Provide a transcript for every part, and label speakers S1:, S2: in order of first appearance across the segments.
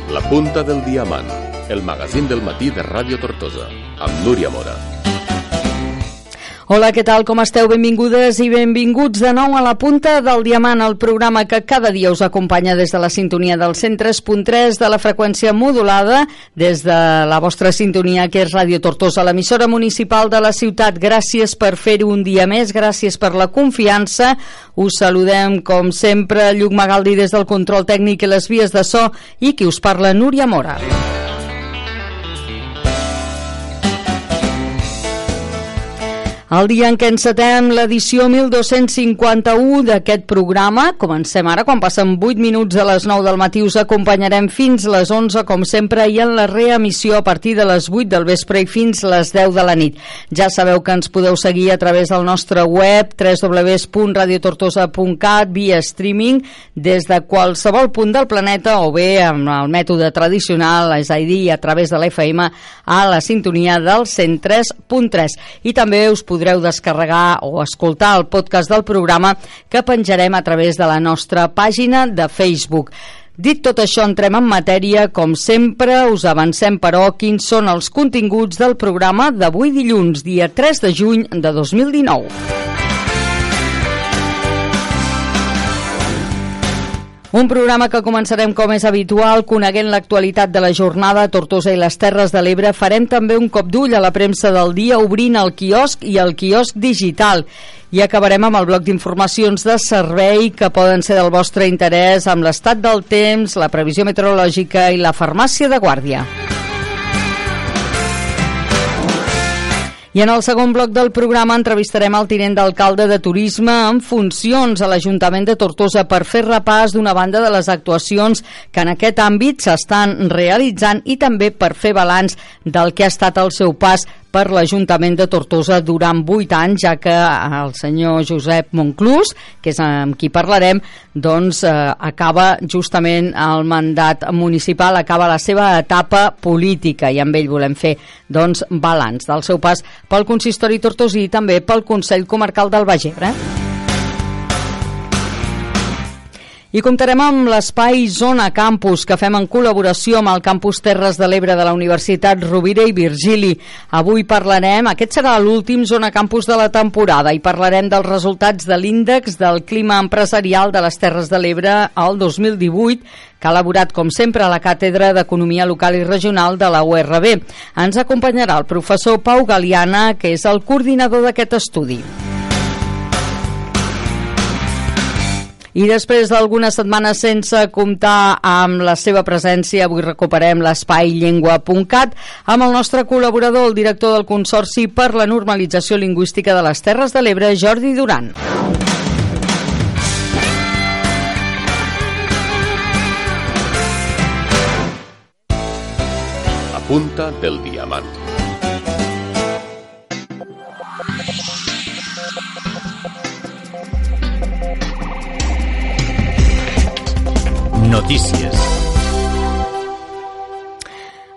S1: La punta del diamant, el magazín del matí de Ràdio Tortosa, amb Núria Mora.
S2: Hola, què tal? Com esteu? Benvingudes i benvinguts de nou a La punta del diamant, el programa que cada dia us acompanya des de la sintonia del 103.3 de la freqüència modulada, des de la vostra sintonia que és Ràdio Tortosa, l'emissora municipal de la ciutat. Gràcies per fer-ho un dia més, gràcies per la confiança. Us saludem, com sempre, Lluc Magaldi des del control tècnic i les vies de so, i qui us parla, Núria Mora. El dia en què encetem l'edició 1251 d'aquest programa, comencem ara, quan passen 8 minuts de les 9 del matí, us acompanyarem fins les 11, com sempre, i en la reemissió a partir de les 8 del vespre i fins les 10 de la nit. Ja sabeu que ens podeu seguir a través del nostre web, www.radiotortosa.cat, via streaming, des de qualsevol punt del planeta, o bé amb el mètode tradicional, és a dir, a través de l'FM, a la sintonia del 103.3. I també us podreu descarregar o escoltar el podcast del programa que penjarem a través de la nostra pàgina de Facebook. Dit tot això, entrem en matèria. Com sempre, us avancem, però, quins són els continguts del programa d'avui dilluns, dia 3 de juny de 2019. Un programa que començarem, com és habitual, coneguent l'actualitat de la jornada a Tortosa i les Terres de l'Ebre. Farem també un cop d'ull a la premsa del dia, obrint el quiosc i el quiosc digital. I acabarem amb el bloc d'informacions de servei que poden ser del vostre interès, amb l'estat del temps, la previsió meteorològica i la farmàcia de guàrdia. I en el segon bloc del programa entrevistarem el tinent d'alcalde de Turisme en funcions a l'Ajuntament de Tortosa per fer repàs d'una banda de les actuacions que en aquest àmbit s'estan realitzant i també per fer balanç del que ha estat el seu pas per l'Ajuntament de Tortosa durant 8 anys, ja que el senyor Josep Monclús, que és amb qui parlarem, doncs acaba justament el mandat municipal, acaba la seva etapa política, i amb ell volem fer doncs balanç del seu pas pel consistori tortosí i també pel Consell Comarcal del Baix Ebre. I comptarem amb l'espai Zona Campus, que fem en col·laboració amb el Campus Terres de l'Ebre de la Universitat Rovira i Virgili. Avui parlarem, aquest serà l'últim Zona Campus de la temporada, i parlarem dels resultats de l'índex del clima empresarial de les Terres de l'Ebre al 2018, que ha elaborat, com sempre, a la Càtedra d'Economia Local i Regional de la URB. Ens acompanyarà el professor Pau Galiana, que és el coordinador d'aquest estudi. I després d'algunes setmanes sense comptar amb la seva presència, avui recuperem l'espai llengua.cat amb el nostre col·laborador, el director del Consorci per la Normalització Lingüística de les Terres de l'Ebre, Jordi Duran.
S1: La punta del diamant.
S3: Notícies.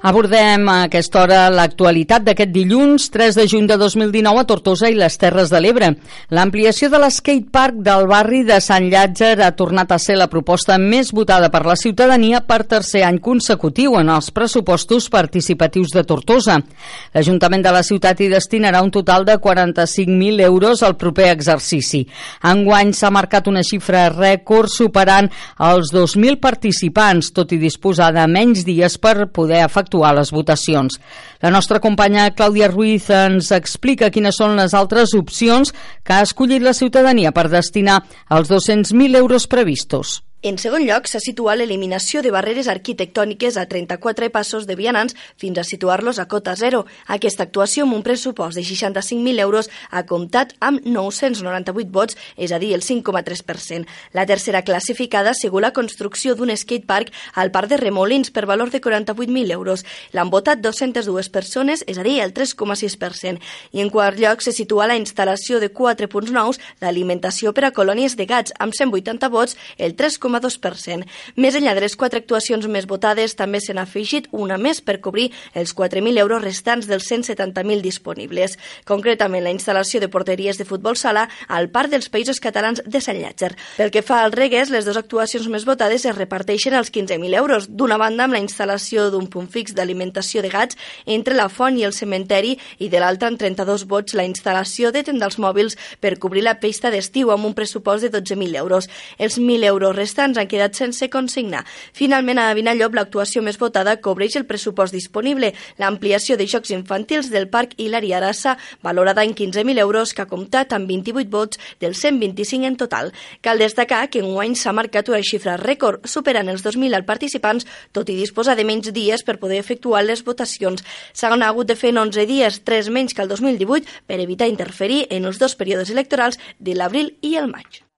S2: Abordem a aquesta hora l'actualitat d'aquest dilluns 3 de juny de 2019 a Tortosa i les Terres de l'Ebre. L'ampliació de l'skatepark del barri de Sant Llàtzer ha tornat a ser la proposta més votada per la ciutadania per tercer any consecutiu en els pressupostos participatius de Tortosa. L'Ajuntament de la ciutat hi destinarà un total de 45.000 euros al proper exercici. Enguany s'ha marcat una xifra rècord superant els 2.000 participants, tot i disposar de menys dies per poder efectuar les votacions. La nostra companya Clàudia Ruiz ens explica quines són les altres opcions que ha escollit la ciutadania per destinar els 200.000 euros previstos.
S4: En segon lloc, s'ha situat l'eliminació de barreres arquitectòniques a 34 passos de vianants fins a situar-los a cota zero. Aquesta actuació, amb un pressupost de 65.000 euros, ha comptat amb 998 vots, és a dir, el 5,3%. La tercera classificada ha sigut la construcció d'un skatepark al Parc de Remolins per valor de 48.000 euros. L'han votat 202 persones, és a dir, el 3,6%. I en quart lloc se situa la instal·lació de 4 punts nous d'alimentació per a colònies de gats, amb 180 vots, el 3,5%. 3,2%. Més enllà de les 4 actuacions més votades, també se n'ha afegit una més per cobrir els 4.000 euros restants dels 170.000 disponibles. Concretament, la instal·lació de porteries de futbol sala al Parc dels Països Catalans de Sant Llàtzer. Pel que fa al Reguers, les 2 actuacions més votades es reparteixen els 15.000 euros. D'una banda, amb la instal·lació d'un punt fix d'alimentació de gats entre la font i el cementeri, i de l'altra, amb 32 vots, la instal·lació de tendals mòbils per cobrir la pista d'estiu amb un pressupost de 12.000 euros. Els 1.000 euros restants han quedat sense consignar. Finalment, a Vinallop, l'actuació més votada cobreix el pressupost disponible, l'ampliació de jocs infantils del Parc Hilari Arassa, valorada en 15.000 euros, que ha comptat amb 28 vots dels 125 en total. Cal destacar que enguany s'ha marcat una xifra rècord, superant els 2.000 participants, tot i disposar de menys dies per poder efectuar les votacions. S'han hagut de fer en 11 dies, 3 menys que el 2018, per evitar interferir en els 2 períodes electorals de l'abril i el maig.